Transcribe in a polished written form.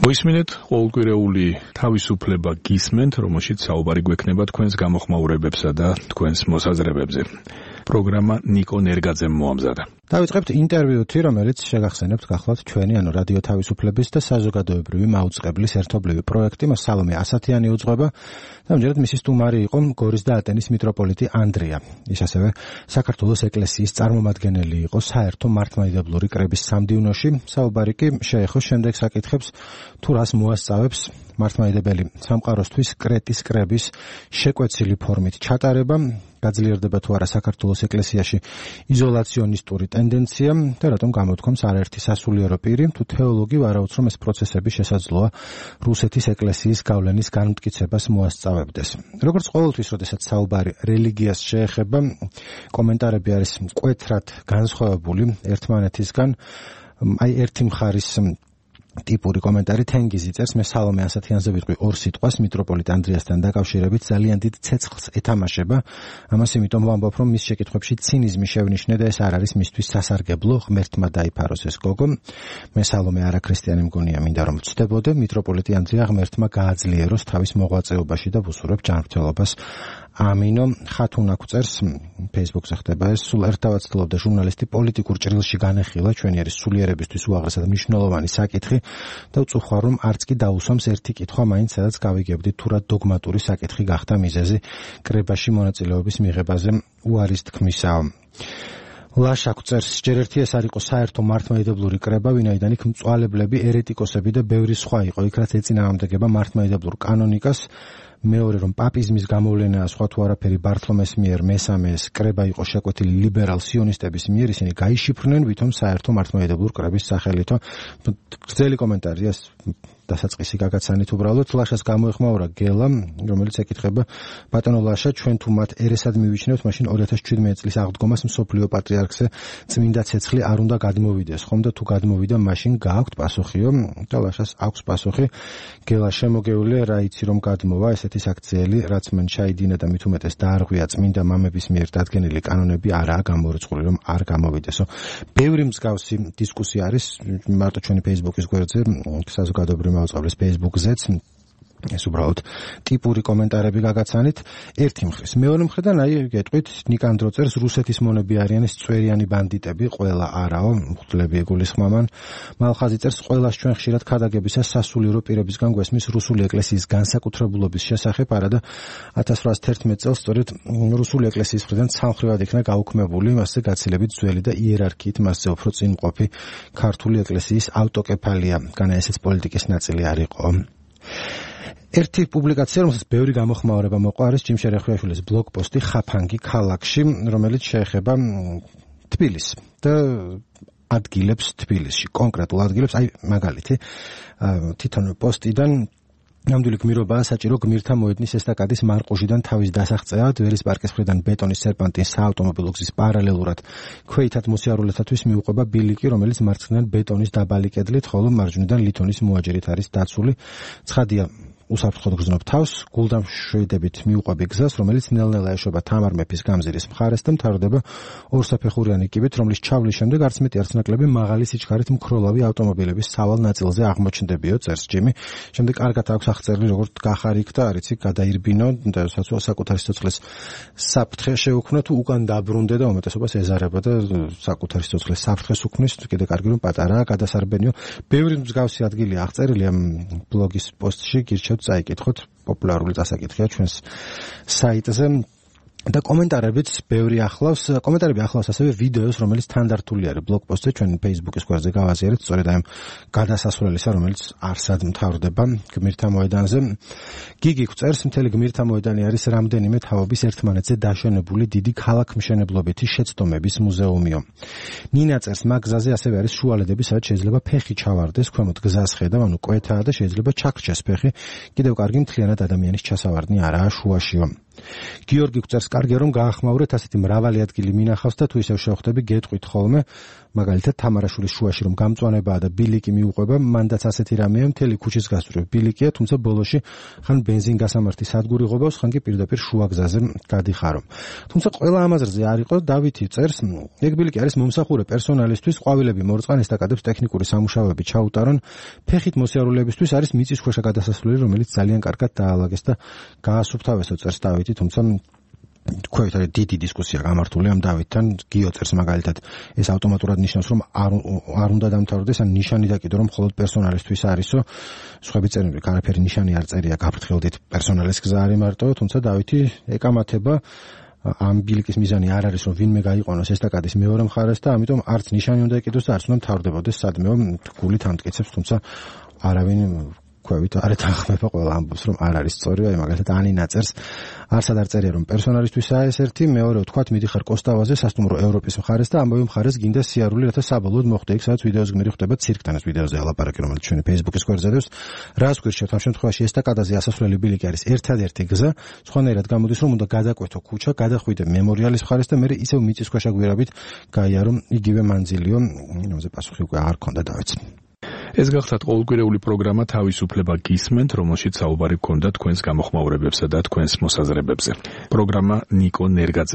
მოისმინეთ ყოველკვირეული თავისუფლება გისმენთ, რომელშიც საუბარი გვექნება თქვენს გამოხმაურებებსა და თქვენს მოსაზრებებზე. პროგრამა ნიკო ნერგაძემ მოამზადა. დავიწყებთ ინტერვიუთი, რომელიც შეგახსენებთ გახლავთ ჩვენი, რადიო თავისუფლების და საზოგადოებრივი მაუწყებლის ერთობლივი პროექტი. მას სალომე ასათიანი უძღვება და ამჯერად მისი სტუმარი იყო გორის და ატენის მიტროპოლიტი ანდრია. ის ასევე საქართველოს ეკლესიის წარმომადგენელი იყო საერთო მართლმადიდებლური კრების სამდივნოში. საუბარი კი შეეხო შემდეგ საკითხებს, თუ რას მოასწავებს მართლმადიდებელი სამყაროსთვის კრეტის კრების შეკვეცილი ფორმით ჩატარება, გაძლიერდება თუ არა საქართველოს ეკლესიაში იზოლაციონისტური ტენდენცია და რატომ გამოთქვამს არაერთი სასულიერო პირი, თუ თეოლოგი ვარაუდს, რომ ეს პროცესები შესაძლოა რუსეთის ეკლესიის გავლენის განმტკიცებას მოასწავებდეს. როგორც ყოველთვის, როდესაც საუბარი რელიგიას შეეხება, კომენტარები არის მკვეთრად განსხვავებული ერთმანეთისგან. ერთი მხარის ტიპური კომენტარი თენგიზი წერს, მე სალომე ასათიანზე ვიტყვი ორ სიტყვას მიტროპოლიტ ანდრიასთან დაკავშირებით ძალიან დიდ ცეცხლს ეთამაშება. ამას იმიტომ ვამბობ, რომ მის შეკითხვებში ცინიზმი შევნიშნე და ეს არ არის მისთვის სასარგებლო, ღმერთმა დაიფაროს ეს გოგო. მე სალომე არაქრისტიანი მგონია, მინდა რომ ვწდებოდე, მიტროპოლიტი ანდრია ღმერთმა გააძლიეროს თავის მოღვაწეობაში და ვუსურებ ჯანმრთელობას. ამინო. ხათუნა გვწერს, Facebook-ზე ხდება ეს, სულ ერთდავად ცდილობდა ჟურნალისტი პოლიტიკურ ჭრილში განეხილა ჩვენი არის სულიერებისთვის უაღრესად მნიშვნელოვანი საკითხი და ვწუხარ, რომ არც კი დაუსვამს ერთი კითხვა მაინც, სადაც გავიგებდით თუ რა დოგმატური საკითხი გახდა მიზეზი კრებაში მონაწილეობის მიღებაზე უარის თქმისაა. ლაშა გვწერს, ჯერ ერთი ეს არ იყო საერთო მართლმადიდებლური კრება, ვინაიდან იქ მწვალებლები, ერეტიკოსები და ბევრი სხვა იყო, იქ რაც ეწინააღმდეგება მართლმადიდებლურ კანონიკას. მეორე რომ პაპიზმის გამოვლენაა სხვა თუ არაფერი ბართლომეს მიერ, მესამე ეს კრება იყო შეკვეთილი ლიბერალ სიონისტების მიერ, ისინი გაიშიფრნენ ვითომ საერთო მართლმადიდებლურ კრების სახელითო. გრძელი კომენტარია, დასაწყისი გაგაცანით უბრალოდ. ლაშას გამოეხმაურა გელა, რომელიც ეკითხება, ბატონო ლაშა, ჩვენ თუ მათ ერესად მივიჩნევთ, მაშინ 2017 წლის აღდგომას მსოფლიო პატრიარქზე წმინდა ცეცხლი არ უნდა გადმოვიდეს, ხომ და თუ გადმოვიდა, მაშინ გააქვთ პასუხიო? და ლაშას აქვს პასუხი. გელა, შემოგევლე, რა იცი რომ გადმოვა ესეთი საქციელი, რაც მან ჩაიდინა და მით უმეტეს დაარღვია წმინდა მამების მიერ დადგენილი კანონები არაა გამორიცხული, რომ არ გამოვიდესო. ბევრი მსგავსი დისკუსია არის მარტო ჩვენი Facebook-ის გვერდზე, საზოგადოებრივი მაუწყებლის Facebook-ზეც. ეს უბრალოდ ტიპური კომენტარები გაგაცანით ერთი მხრის. მეორე მხრიდან გეტყვით, ნიკანდრო წერს, რუსეთის მონები არიან წვერიანი ბანდიტები, ყველა არაო, მღვდლები ეგულისხმამან. მალხაზი წერს, ყველას ჩვენ ხშირად ქადაგებისას სასულიერო პირებისგან გვესმის რუსული ეკლესიის განსაკუთრებულობის შესახებ, არადა 1811 წელს სწორედ რუსული ეკლესიის მხრიდან სამხრივად იქნა გაუქმებული, მასზე გაცილებით ძველი და იერარქიით მასზე უფრო წინმყოფი ქართული ეკლესიის ავტოკეფალია, განა ესეც პოლიტიკის ნაწილი არ იყო. ერთი პუბლიკაცია, რომელსაც ბევრი გამოხმაურება მოყვა, არის ჯიმშე რეხვიაშვილის ბლოგპოსტი ხაფანგი ქალაქში, რომელიც შეეხება თბილისს და ადგილებს თბილისში, კონკრეტულ ადგილებს, მაგალითი, თვითონ პოსტიდან ნამდვილი გმირობაა საჭირო გმირთა მოედნის ესტაკადის მარყუჟიდან თავის დასაღწევა, დვერის პარკის მხრიდან ბეტონის სერპანტინის საავტომობილო გზის პარალელურად ქვეითად მოსიარულეთათვის მიუყვება ბილიკი, რომელიც მარცხნიდან ბეტონის დაბალი კედლით, ხოლო მარჯვნიდან ლითონის მოაჯერით არის დაცული. ცხადია, უსაფრთხოდ გრძნობ თავს, გულდამშვიდებით მიუყვები გზას, რომელიც ნელ-ნელა ეშვება თამარ მეფის გამზირის მხარეს და მთავრდება ორსაფეხურიანი კიბით, რომლის ჩავლის შემდეგ არც მეტი არც ნაკლები მაღალი სიჩქარით მქროლავი ავტომობილების სავალ ნაწილზე აღმოჩნდებიო, წერს ჯიმი. შემდეგ კარგად აქვს აღწერილი, როგორც გახარ იქ და არ იცი, გადაირბინო და საკუთარი სიცოცხლის საფრთხე შეუქმნა, თუ უკან დაბრუნდე და უმეტესობას ეზარება და საკუთარი სიცოცხლის საფრთხეს უქმნის, კიდე კარგი რომ პატარაა, გადასარბენიო. ბევრი მსგავსი ადგილი აღწერილია ბლოგის პოსტში, გირჩევთ წაიკითხოთ, პოპულარული წასაკითხია ჩვენს საიტზე. და კომენტარებიც ბევრი ახლავს, კომენტარები ახლავს ასევე ვიდეოს, რომელიც თანდართული არის ბლოგპოსტზე ჩვენ Facebook-ის გვერდზე გავაზიარეთ, სწორედ ამ გადასასვლელისა, რომელიც არსად მთავრდება გმირთა მოედანზე. გიგი გვწერს, მთელი გმირთა მოედანი არის რამდენიმე თაობის ერთმანეთზე დაშენებული დიდი ქალაქმშენებლობითი შეცდომების მუზეუმიო. ნინა წერს, მაგ გზაზე ასევე არის შუალედები, სადაც შეიძლება ფეხი ჩავარდეს, ქვემოთ გზას ხედავ, ანუ კვეთაა და შეიძლება ჩაქრჩეს ფეხი, კიდევ კარგი მთლიანად ადამიანის ჩასავარდნი არაა შუაშიო. გიორგი გვწერს, კარგია რომ გაახმაურეთ, ასეთი მრავალი ადგილი მინახავს და თუ ისევ შევხვდები, გეტყვით ხოლმე, მაგალითად თამარაშვილის შუაში რომ გამწვანებაა და ბილიკი მიუყვება, მანდაც ასეთი რამეა, მთელი ქუჩის გასწვრივ ბილიკია, თუმცა ბოლოში ხან ბენზინგასამართი სადგური ღვებავს, ხან კი პირდაპირ შუა გზაზე გადიხარო. თუმცა ყველა ამაზრზე არ იყო, დავითი წერს, ეგ ბილიკი არის მომსახურე პერსონალისთვის, ყვავილები მორწყან, ესტაკადებს ტექნიკური სამუშაოები ჩაუტარონ, ფეხით მოსიარულეებისთვის არის მიწისქვეშა გადასასვლელი, რომელიც ძალიან კარგად დაალაგეს და გაასუფთავესო, წერს დავითი, თუმცა თქვენ არის დიდი დისკუსია გამართული ამ დავითთან. გიო წერს მაგალითად, ეს ავტომატურად ნიშნავს, რომ არ უნდა დამთავრდეს, ან ნიშანი დაკიდო, რომ მხოლოდ პერსონალისთვის არისო. სხვები წერენ, რომ არაფერი ნიშანი არ წერია, გაფრთხილდით პერსონალის გზა არის მარტო, თუმცა დავითი ეკამათება ამ ბილიკის მიზანი არ არის, რომ ვინმე გაიყვანოს ესტაკადის მეორე მხარეს და ამიტომ არც ნიშანი უნდა ეკიდოს და არც უნდა მთავრდებოდეს სადმეო გულით ამტკიცებს, თუმცა არავინ ქვევით არ ეთანხმება, ყველა ამბობს, რომ არ არის სწორი, აი მაგალითად ანინა წერს, არსად არ წერია, რომ პერსონალისთვისაა ეს ერთი, მეორე ვთქვათ, მიდიხარ კოსტავაზე, სასტუმრო ევროპის მხარეს და ამბობი მხარეს გინდა სიარული, რათა საბოლოოდ მოხდე იქ, სადაც ვიდეოს გმირი ხდება ცირკთან, ეს ვიდეოზე ალაპარაკი, რომელიც ჩვენი Facebook-ის გვერდზე დევს. რას გვირჩევთ ამ შემთხვევაში, ესტაკადაზე ასასვლელი ბილიკი არის ერთადერთი გზა, სხვანაირად გამოდის, რომ უნდა გადაკვეთო ქუჩა, გადახვიდე მემორიალის მხარეს და მე ისევ მიწისქვეშა გვირაბით გაიარო იგივე მანძილიო, იმაზე პასუხი უკვე არ ქონდა დავიც. ეს გახლავთ ყოველკვირეული პროგრამა თავისუფლება გისმენთ, რომელშიც საუბარი გქონდა თქვენს გამოხმაურებებსა და თქვენს მოსაზრებებზე. პროგრამა ნიკო ნერგაძე